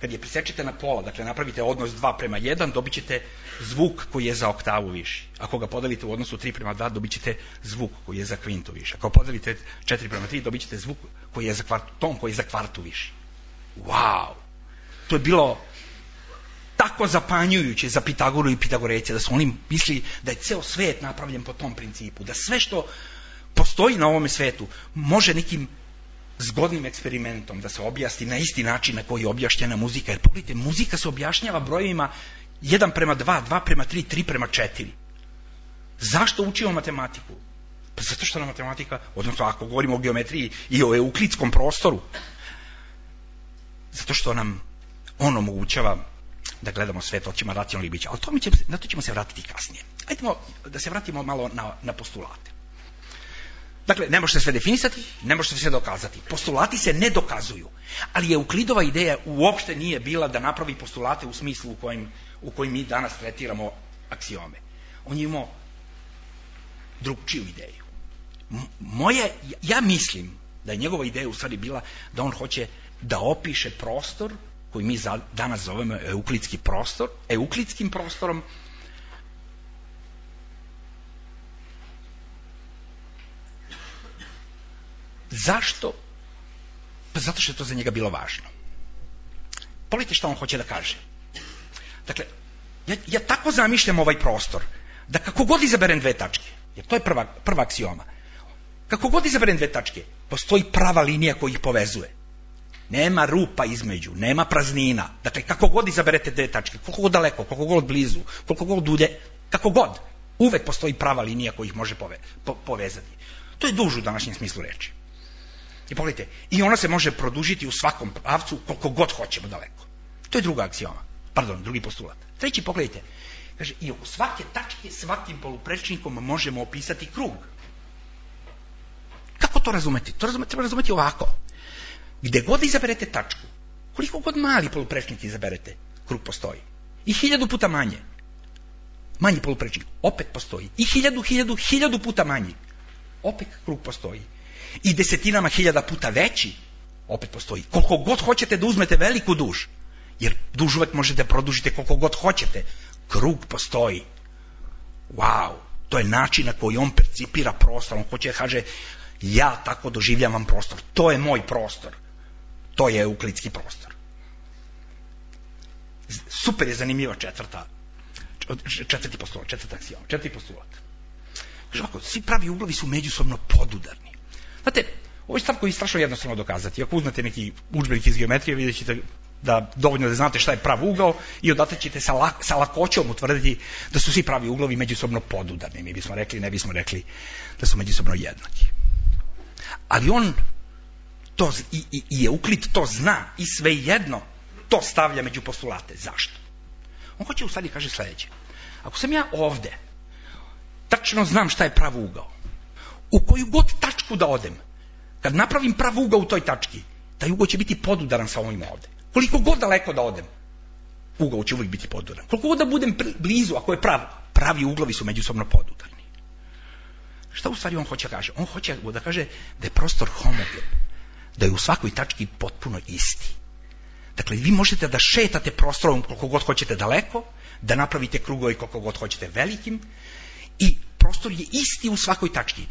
S1: Kad je presečete na pola, dakle napravite odnos dva prema jedan, dobit ćete zvuk koji je za oktavu viši. Ako ga podelite u odnosu tri prema dva, dobit ćete zvuk koji je za kvintu viši. Ako podelite četiri prema tri, dobit ćete zvuk koji je za kvartu, ton koji je za kvartu viši. Wow! To je bilo tako zapanjujuće za Pitagoru i Pitagorejce, da su oni mislili da je ceo svet napravljen po tom principu, da sve što postoji na ovome svetu može nekim zgodnim eksperimentom da se objasni na isti način na koji je objašnjena muzika. Jer pogledajte, muzika se objašnjava brojevima jedan prema dva, dva prema tri, tri prema četiri. Zašto učimo matematiku? Pa zato što na matematika, odnosno ako govorimo o geometriji i o euklidskom prostoru, zato što nam on omogućava da gledamo svet očima racionalnih bića. Ali to mi će, na to ćemo se vratiti kasnije. Ajdemo da se vratimo malo na, na postulate. Dakle, ne može se sve definisati, ne može se sve dokazati. Postulati se ne dokazuju. Ali Euklidova ideja uopšte nije bila da napravi postulate u smislu u kojim, u kojim mi danas tretiramo aksiome. On je imao drugčiju ideju. Moje, ja mislim da je njegova ideja u stvari bila da on hoće da opiše prostor koji mi za, danas zovemo euklidski prostor, euklidskim prostorom, zašto? Pa zato što je to za njega bilo važno. Pogledajte što on hoće da kaže. Dakle, ja, ja tako zamišljam ovaj prostor, da kako god izaberem dve tačke, jer to je prva, prva aksioma, kako god izaberem dve tačke, postoji prava linija koja ih povezuje. Nema rupa između, nema praznina. Dakle, kako god izaberete dve tačke, koliko god daleko, koliko god blizu, koliko god dulje, kako god, uvek postoji prava linija koja ih može pove, po, povezati. To je duž u današnjem smislu reči. I pogledajte, i ona se može produžiti u svakom pravcu koliko god hoćemo daleko. To je druga aksioma, pardon, drugi postulat. Treći, pogledajte, kaže, i oko svake tačke, svakim poluprečnikom možemo opisati krug. Kako to razumeti? To razumeti, treba razumeti ovako. Gde god izaberete tačku, koliko god mali poluprečnik izaberete, krug postoji. I hiljadu puta manje. Manji poluprečnik, opet postoji. I hiljadu, hiljadu, hiljadu puta manji. Opet krug postoji. I desetinama hiljada puta veći, opet postoji. Koliko god hoćete da uzmete veliku duž, Jer duž uvek možete produžiti koliko god hoćete. Krug postoji. Wow, to je način na koji on percipira prostor. On hoće da kaže, ja tako doživljavam prostor. To je moj prostor. To je euklidski prostor. Super je zanimljiva četvrta, četvrti postulat, četvrta aksioma, četvrti postulat. Kaže ovako, svi pravi uglovi su međusobno podudarni. Znate, ovo je stav koji je strašno jednostavno dokazati. Ako uzmete neki udžbenik iz geometrije, vidjet ćete da dovoljno da znate šta je prav ugao i odatle ćete sa, lak, sa lakoćom utvrditi da su svi pravi uglovi međusobno podudarni. Mi bismo rekli, ne bismo rekli da su međusobno jednaki. Ali on to, i, i, i Euklid to zna i svejedno to stavlja među postulate. Zašto? On hoće u stvari kaže sledeće. Ako sam ja ovde, tačno znam šta je prav ugao. U koju god tačku da odem, kad napravim prav ugao u toj tački, taj ugao će biti podudaran sa ovim ovde. Koliko god daleko da odem, ugao će uvijek biti podudaran. Koliko god da budem blizu, ako je prav, pravi uglovi su međusobno podudarni. Šta u stvari on hoće da kaže? On hoće da kaže da je prostor homogen, da je u svakoj tački potpuno isti. Dakle, vi možete da šetate prostorom koliko god hoćete daleko, da napravite krugove koliko god hoćete velikim i prostor je isti u svakoj tački.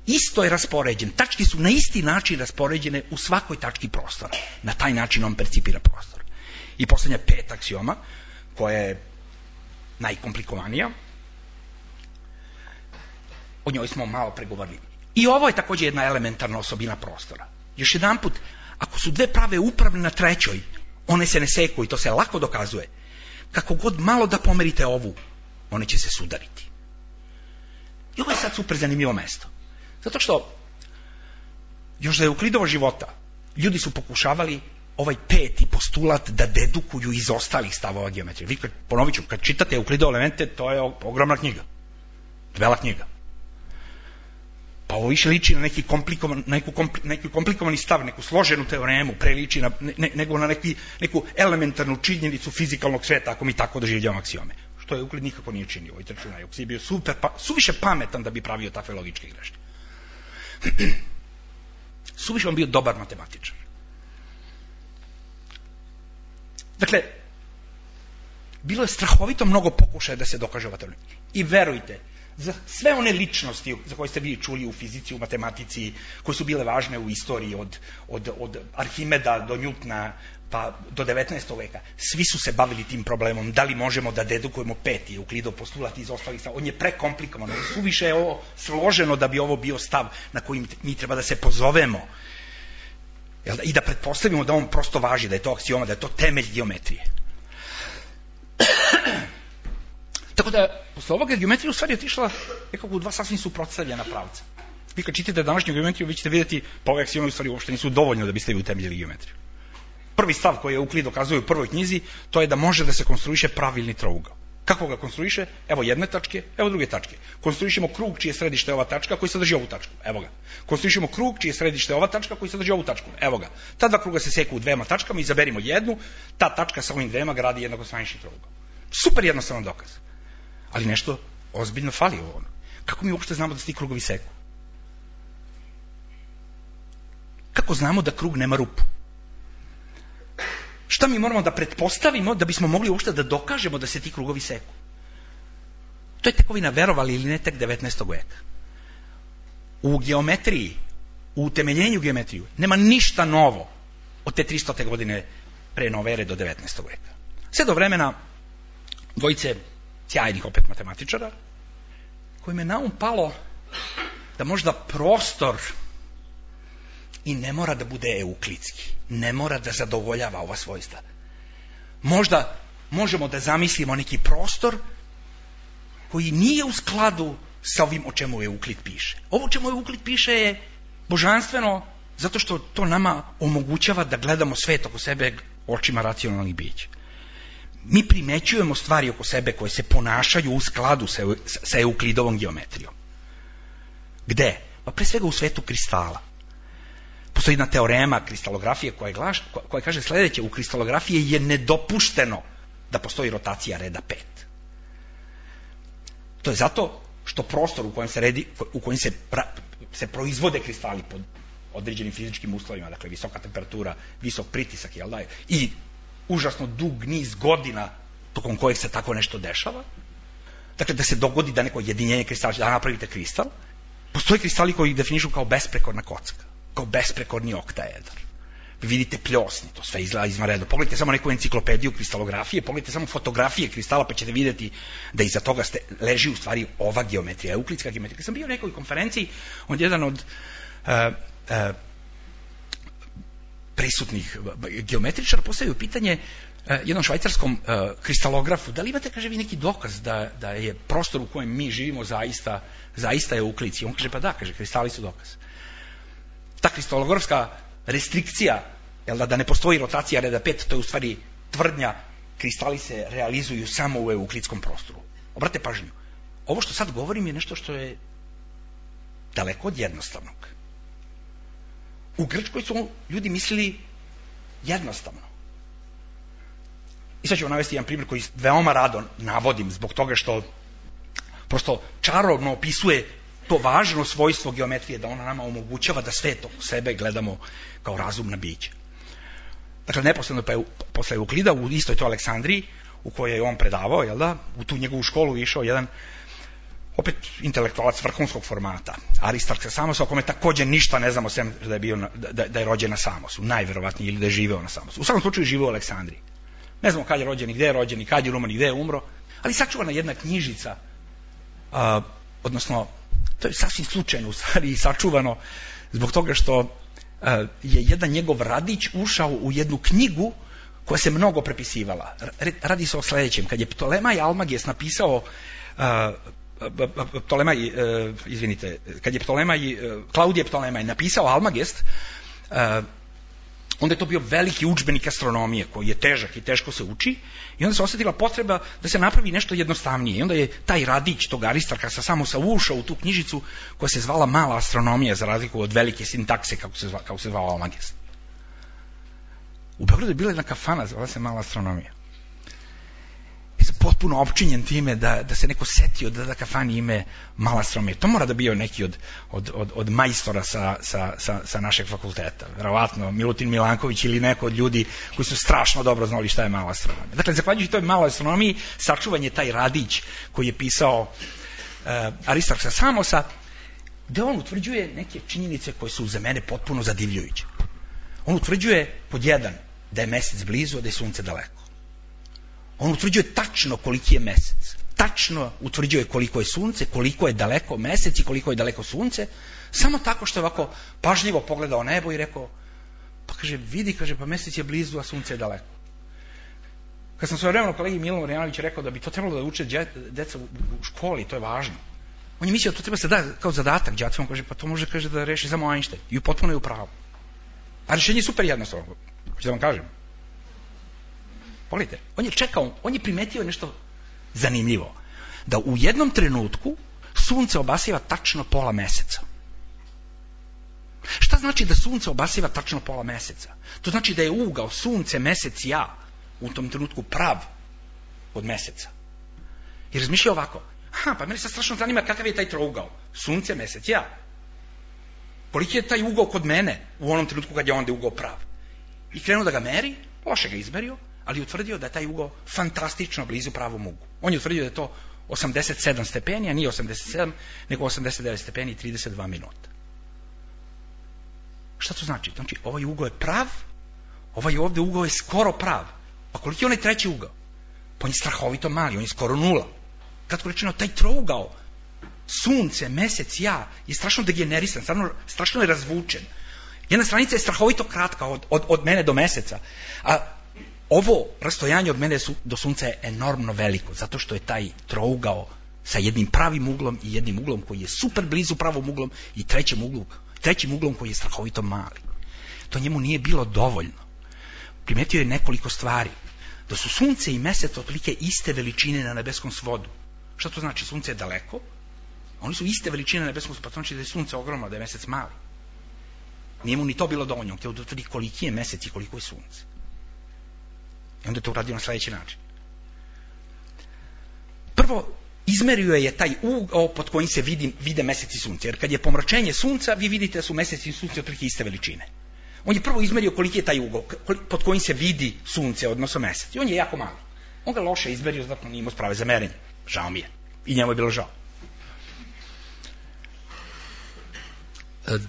S1: Isto je raspoređen. Tačke su na isti način raspoređene u svakoj tački prostora. Na taj način on percipira prostor. I poslednja peta aksioma, koja je najkomplikovanija, o njoj smo malo pregovorili. I ovo je također jedna elementarna osobina prostora. Još jedan put, ako su dve prave upravne na trećoj, one se ne seku i to se lako dokazuje. Kako god malo da pomerite ovu, one će se sudariti. I ovo je sad super zanimljivo mesto. Zato što još za Euklidovo života ljudi su pokušavali ovaj peti postulat da dedukuju iz ostalih stavova geometrije. Vi, ponovit ću, kad čitate Euklidovo elemente, to je ogromna knjiga. Dvela knjiga. Pa ovo više liči na neki komplikovan, neku, kompli, neki komplikovani stav, neku složenu teoremu, pre liči na, ne, nego na neki, neku elementarnu činjenicu fizikalnog sveta, ako mi tako doživljavamo aksiome. Što je Euklid nikako nije činio. I trčuna je bio super, pa, suviše pametan da bi pravio takve logičke greške. Suviše on bio dobar matematičar. Dakle, bilo je strahovito mnogo pokušaja da se dokaže ova teorija. I verujte, za sve one ličnosti za koje ste vi čuli u fizici, u matematici, koje su bile važne u istoriji od, od, od Arhimeda do Newtona pa do devetnaestog veka, svi su se bavili tim problemom, da li možemo da dedukujemo peti Euklidov postulat iz ostalih stavova. On je prekomplikovan, suviše je ovo složeno da bi ovo bio stav na koji mi treba da se pozovemo. I da pretpostavimo da on prosto važi, da je to aksioma, da je to temelj geometrije. Tako da, posle ovoga geometrija u stvari otišla nekako u dva sasvim suprotstavljena pravca. Vi kad čitate današnju geometriju, vi ćete vidjeti, pa ove aksiome u stvari uopšte nisu dovoljno da biste vi utemeljili geometriju. Prvi stav koji Euklid dokazuje u prvoj knjizi, to je da može da se konstruiše pravilni trougao. Kako ga konstruiše? Evo jedne tačke, evo druge tačke. Konstruišemo krug čije središte je ova tačka koji sadrži ovu tačku. Evo ga. Konstruišemo krug čije središte je ova tačka koji sadrži ovu tačku. Evo ga. Ta dva kruga se seku u dvema tačkama, izaberimo jednu, ta tačka sa ovim dvema gradi jednakostranični trougao. Super jednostavan dokaz. Ali nešto ozbiljno fali u ovom. Kako mi uopšte znamo da se ti krugovi seku? Kako znamo da krug nema rupu? Šta mi moramo da pretpostavimo da bismo mogli uopšte da dokažemo da se ti krugovi seku? To je tekovina, verovali ili ne, tek devetnaestog veka. U geometriji, u utemeljenju geometriju, nema ništa novo od te tristote godine pre nove ere do devetnaestog veka. Sve do vremena dvojice sjajnih opet matematičara, kojim je na um palo da možda prostor i ne mora da bude euklidski, ne mora da zadovoljava ova svojstva. Možda možemo da zamislimo neki prostor koji nije u skladu sa ovim o čemu Euklid piše. Ovo o čemu Euklid piše je božanstveno zato što to nama omogućava da gledamo svet oko sebe očima racionalnih bića. Mi primećujemo stvari oko sebe koje se ponašaju u skladu sa, sa Euklidovom geometrijom. Gde? Pa pre svega u svetu kristala. Postoji jedna teorema kristalografije koja, glaš, koja kaže sledeće: u kristalografiji je nedopušteno da postoji rotacija reda pet. To je zato što prostor u kojem se, redi, u kojem se, pra, se proizvode kristali pod određenim fizičkim uslovima, dakle visoka temperatura, visok pritisak, jel da je, i užasno dug niz godina tokom kojeg se tako nešto dešava. Dakle, da se dogodi da neko jedinjenje kristala, da napravite kristal. Postoje kristali koji ih definišu kao besprekorna kocka, kao besprekorni oktaedar. Vi vidite pljosni, to sve izgleda izvanredno. Pogledajte samo neku enciklopediju kristalografije, pogledajte samo fotografije kristala, pa ćete vidjeti da iza toga ste, leži u stvari ova geometrija, euklidska geometrija. Kad sam bio u nekoj konferenciji, on jedan od uh, uh, prisutnih geometričara postavio pitanje uh, jednom švajcarskom uh, kristalografu, da li imate, kaže, vi neki dokaz da, da je prostor u kojem mi živimo zaista, zaista je euklidski? On kaže, pa da, kaže, kristali su dokaz. Ta kristalografska restrikcija, jel da, da ne postoji rotacija reda pet, to je u stvari tvrdnja, kristali se realizuju samo u euklidskom prostoru. Obratite pažnju, ovo što sad govorim je nešto što je daleko od jednostavnog. U Grčkoj su ljudi mislili jednostavno. I sad ću vam navesti jedan primjer koji veoma rado navodim zbog toga što prosto čarobno opisuje to važno svojstvo geometrije, da ona nama omogućava da svet oko sebe gledamo kao razumna bića. Dakle, neposredno pa je, posle Euklida u istoj to Aleksandriji, u kojoj je on predavao, jel da, u tu njegovu školu išao jedan opet intelektualac vrhunskog formata, Aristarh sa Samosa, o kome takođe ništa ne znamo, sem da je, bio na, da, da je rođen na Samosu, najverovatnije, ili da je živeo na Samosu. U svakom slučaju živeo u Aleksandriji. Ne znamo kad je rođen i gde je rođen i kad je umro i gde je umro, ali sačuvana jedna knjižica, a, odnosno to je sasvim slučajno u stvari i sačuvano zbog toga što uh, je jedan njegov radić ušao u jednu knjigu koja se mnogo prepisivala. Radi se o sledećem. Kad je Ptolemaj Almages napisao uh, Ptolemaj, uh, izvinite, kad je Ptolemaj, uh, Klaudije Ptolemaj napisao Almagest, uh, onda je to bio veliki udžbenik astronomije koji je težak i teško se uči i onda se osjetila potreba da se napravi nešto jednostavnije. I onda je taj radić tog Aristarha sa Samosa ušao u tu knjižicu koja se zvala Mala astronomija, za razliku od velike sintakse kako se, zva, kako se zvao Almagest. U Beogradu je bila jedna kafana, zvala se Mala astronomija. I sam potpuno opčinjen time da, da se neko setio da da kafani ime Mala astronomija. To mora da bio neki od, od, od, od majstora sa, sa, sa, sa našeg fakulteta. Verovatno Milutin Milanković ili neko od ljudi koji su strašno dobro znali šta je Mala astronomija. Dakle, zahvaljujući toj Maloj astronomiji, sačuvan je taj radić koji je pisao uh, Aristarh sa Samosa, gde on utvrđuje neke činjenice koje su za mene potpuno zadivljujuće. On utvrđuje pod jedan da je mesec blizu, a da je sunce daleko. On utvrđuje tačno koliki je mesec. Tačno utvrđuje koliko je sunce, koliko je daleko mesec i koliko je daleko sunce, samo tako što je ovako pažljivo pogledao nebo i rekao, pa kaže, vidi, kaže, pa mesec je blizu, a sunce je daleko. Kad sam svoje vremeno kolegi Milan Marjanović rekao da bi to trebalo da uče deca u školi, to je važno. On je mislio da to treba se da kao zadatak đacima, kaže, pa to može, kaže, da reši samo Einstein. I potpuno je u pravu. A rešenje je super jednostavno. Hoću da vam kažem. Pogledajte, on je čekao, on je primetio nešto zanimljivo. Da u jednom trenutku sunce obasiva tačno pola meseca. Šta znači da sunce obasiva tačno pola meseca? To znači da je ugao sunce, mesec, ja u tom trenutku prav od meseca. I razmišlja ovako, aha, pa meni sad strašno zanima kakav je taj trougao. Sunce, mesec, ja. Koliki je taj ugao kod mene u onom trenutku kad je onda ugao prav? I krenuo da ga meri, loše ga izmerio, ali utvrdio da je taj ugao fantastično blizu pravom uglu. On je utvrdio da je to osamdeset sedam stepeni, a nije osamdeset sedam, nego osamdeset devet stepeni i trideset dva minuta. Šta to znači? Znači, ovaj ugao je prav, ovaj ovde ugao je skoro prav. Pa koliki je onaj treći ugao? Pa on je strahovito mali, on je skoro nula. Kratko rečeno, taj trougao, sunce, mesec, ja, je strašno degenerisan, strašno, strašno je razvučen. Jedna stranica je strahovito kratka od, od, od mene do meseca, a ovo rastojanje od mene do sunca je enormno veliko, zato što je taj trougao sa jednim pravim uglom i jednim uglom koji je super blizu pravom uglom i trećim uglom, trećim uglom koji je strahovito mali. To njemu nije bilo dovoljno. Primetio je nekoliko stvari. Da su sunce i mesec otprilike iste veličine na nebeskom svodu. Šta to znači? Sunce je daleko, oni su iste veličine na nebeskom svodu, pa to znači da je sunce ogromno, da je mesec mali. Nije mu ni to bilo dovoljno, on htio da utvrdi koliki je mesec i koliko je sunce. I onda je to uradio na sledeći način. Prvo, izmerio je taj ugao pod kojim se vidi, vide mesec i sunce. Jer kad je pomračenje sunca, vi vidite da su mesec i sunce otprilike iste veličine. On je prvo izmerio koliki je taj ugao, pod kojim se vidi sunce, odnosno mesec. I on je jako mali. On ga loše izmerio, zato nije imao sprave za merenje. Žao mi je. I njemu je bilo žao.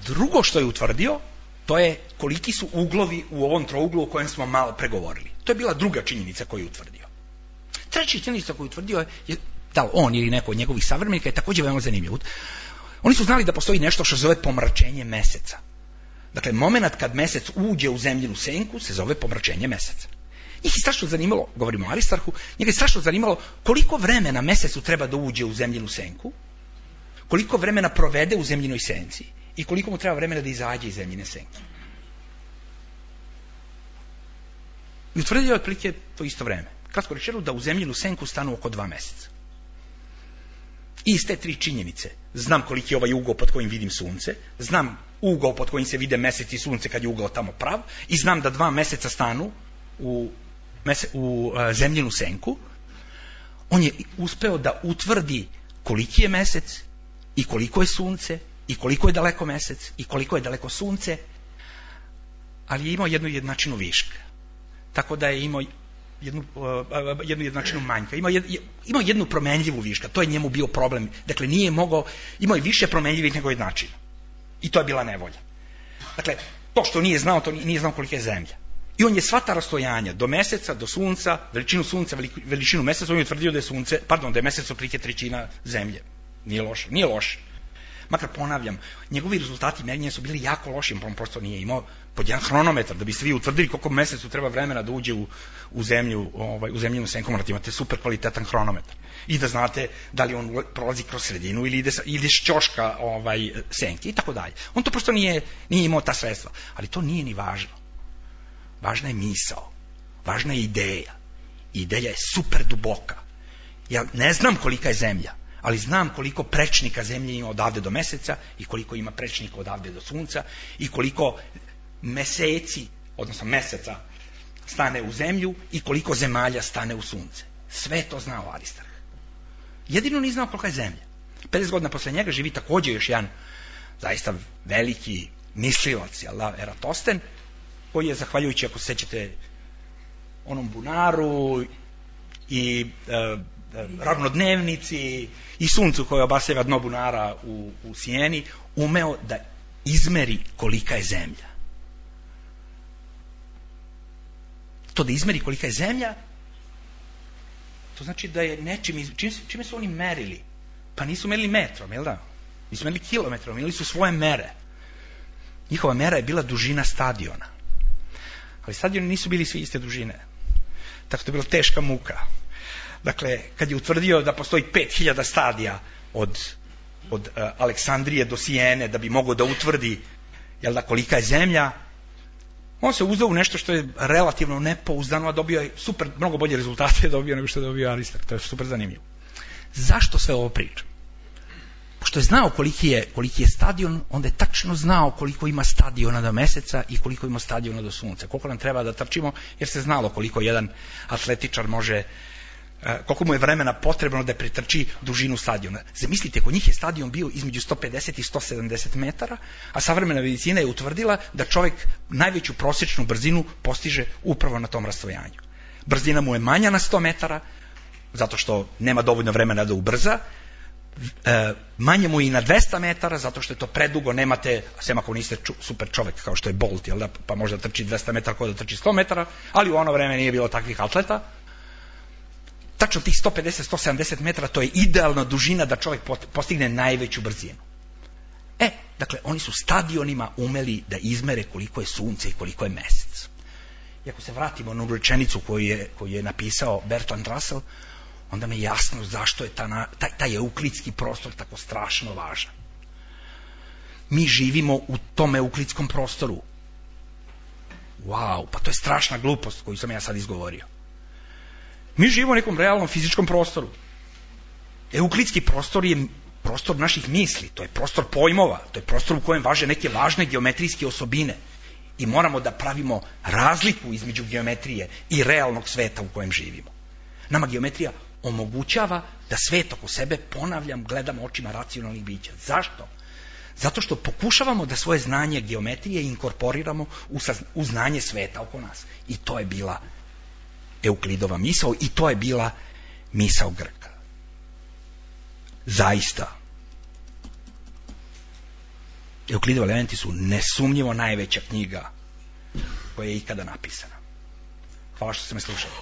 S1: Drugo što je utvrdio, to je koliki su uglovi u ovom trouglu o kojem smo malo pregovorili. To je bila druga činjenica koju je utvrdio. Treća činjenica koju je utvrdio je, da li on ili neko od njegovih savremenika, je također veoma zanimljiv. Oni su znali da postoji nešto što se zove pomračenje meseca. Dakle, moment kad mesec uđe u zemljinu senku se zove pomračenje meseca. Njih je strašno zanimalo, govorimo o Aristarhu, njega je strašno zanimalo koliko vremena mesecu treba da uđe u zemljinu senku, koliko vremena provede u zemljinoj senci i koliko mu treba vremena da izađe iz zemljine senke. I utvrdio je otprilike to isto vreme. Kratko rečeno, da u zemljinu senku stanu oko dva meseca. I iz te tri činjenice znam koliki je ovaj ugao pod kojim vidim sunce, znam ugao pod kojim se vide mesec i sunce kad je ugao tamo prav, i znam da dva meseca stanu u, mese, u uh, zemljinu senku. On je uspeo da utvrdi koliki je mesec i koliko je sunce i koliko je daleko mesec i koliko je daleko sunce, ali je imao jednu jednačinu viška. Tako da je imao jednu, uh, jednu jednačinu manjka. Imao, jed, imao jednu promenljivu viška. To je njemu bio problem. Dakle, nije mogao, imao je više promenljivih nego jednačina. I to je bila nevolja. Dakle, to što nije znao, to nije znao kolika je zemlja. I on je sva ta rastojanja do meseca, do sunca, veličinu sunca, veličinu meseca, on je utvrdio da je sunce, pardon, da je mesec otprilike trećina zemlje. Nije loše, nije loše. Makar ponavljam, njegovi rezultati merenja su bili jako loši, on prosto nije imao pod jedan hronometar, da biste vi utvrdili koliko mesecu treba vremena da uđe u, u zemlju, ovaj, u zemljinu senku, morate imate super kvalitetan hronometar. I da znate da li on prolazi kroz sredinu ili ide, ide s ćoška ovaj, senke i tako dalje. On to prosto nije, nije imao ta sredstva. Ali to nije ni važno. Važna je misao. Važna je ideja. Ideja je super duboka. Ja ne znam kolika je zemlja, ali znam koliko prečnika zemlje ima odavde do meseca i koliko ima prečnika odavde do sunca i koliko meseci, odnosno meseca, stane u zemlju i koliko zemalja stane u sunce. Sve to znao Aristarh. Jedino nije znao kolika je zemlja. pedeset godina posle njega živi također još jedan zaista veliki mislilac, jel da, Eratosten, koji je, zahvaljujući, ako se sećate, onom bunaru i e, ravnodnevnici i suncu koje obasjava dno bunara u, u Sijeni, umeo da izmeri kolika je zemlja. To da izmeri kolika je zemlja, to znači da je nečim, čime, čime su oni merili? Pa nisu merili metrom, jel da? Nisu merili kilometrom, imali su svoje mere. Njihova mera je bila dužina stadiona. Ali stadioni nisu bili svi iste dužine. Tako da je bila teška muka. Dakle, kad je utvrdio da postoji pet hiljada stadija od, od uh, Aleksandrije do Sijene, da bi mogao da utvrdi, jel da, kolika je zemlja, on se uzdao u nešto što je relativno nepouzdano, a dobio je super, mnogo bolje rezultate dobio nego što je dobio Aristarh. To je super zanimljivo. Zašto sve ovo pričam? Pošto je znao koliki je, koliki je stadion, onda je tačno znao koliko ima stadiona do meseca i koliko ima stadiona do sunca. Koliko nam treba da trčimo, jer se znalo koliko jedan atletičar može, koliko mu je vremena potrebno da pretrči dužinu stadiona. Zamislite, kod njih je stadion bio između sto pedeset i sto sedamdeset metara, a savremena medicina je utvrdila da čovjek najveću prosječnu brzinu postiže upravo na tom rastojanju. Brzina mu je manja na sto metara, zato što nema dovoljno vremena da ubrza, e, manje mu i na dvesta metara, zato što je to predugo, nemate, sem ako niste ču, super čovjek kao što je Bolt, jel da, pa može da trči dvesta metara kao da trči sto metara, ali u ono vreme nije bilo takvih atleta. Tačno tih sto pedeset do sto sedamdeset metara, to je idealna dužina da čovjek postigne najveću brzinu. E, dakle, oni su stadionima umeli da izmere koliko je sunce i koliko je mesec. I ako se vratimo na rečenicu koju je, koju je napisao Bertrand Russell, onda mi je jasno zašto je ta, taj, taj euklidski prostor tako strašno važan. Mi živimo u tom euklidskom prostoru. Wow, pa to je strašna glupost koju sam ja sad izgovorio. Mi živimo u nekom realnom fizičkom prostoru. Euklidski prostor je prostor naših misli, to je prostor pojmova, to je prostor u kojem važe neke važne geometrijske osobine. I moramo da pravimo razliku između geometrije i realnog sveta u kojem živimo. Nama geometrija omogućava da svet oko sebe, ponavljam, gledamo očima racionalnih bića. Zašto? Zato što pokušavamo da svoje znanje geometrije inkorporiramo u, saz... u znanje sveta oko nas. I to je bila Euklidova misao i to je bila misao Grka. Zaista. Euklidovi elementi su nesumnjivo najveća knjiga koja je ikada napisana. Hvala što ste me slušali.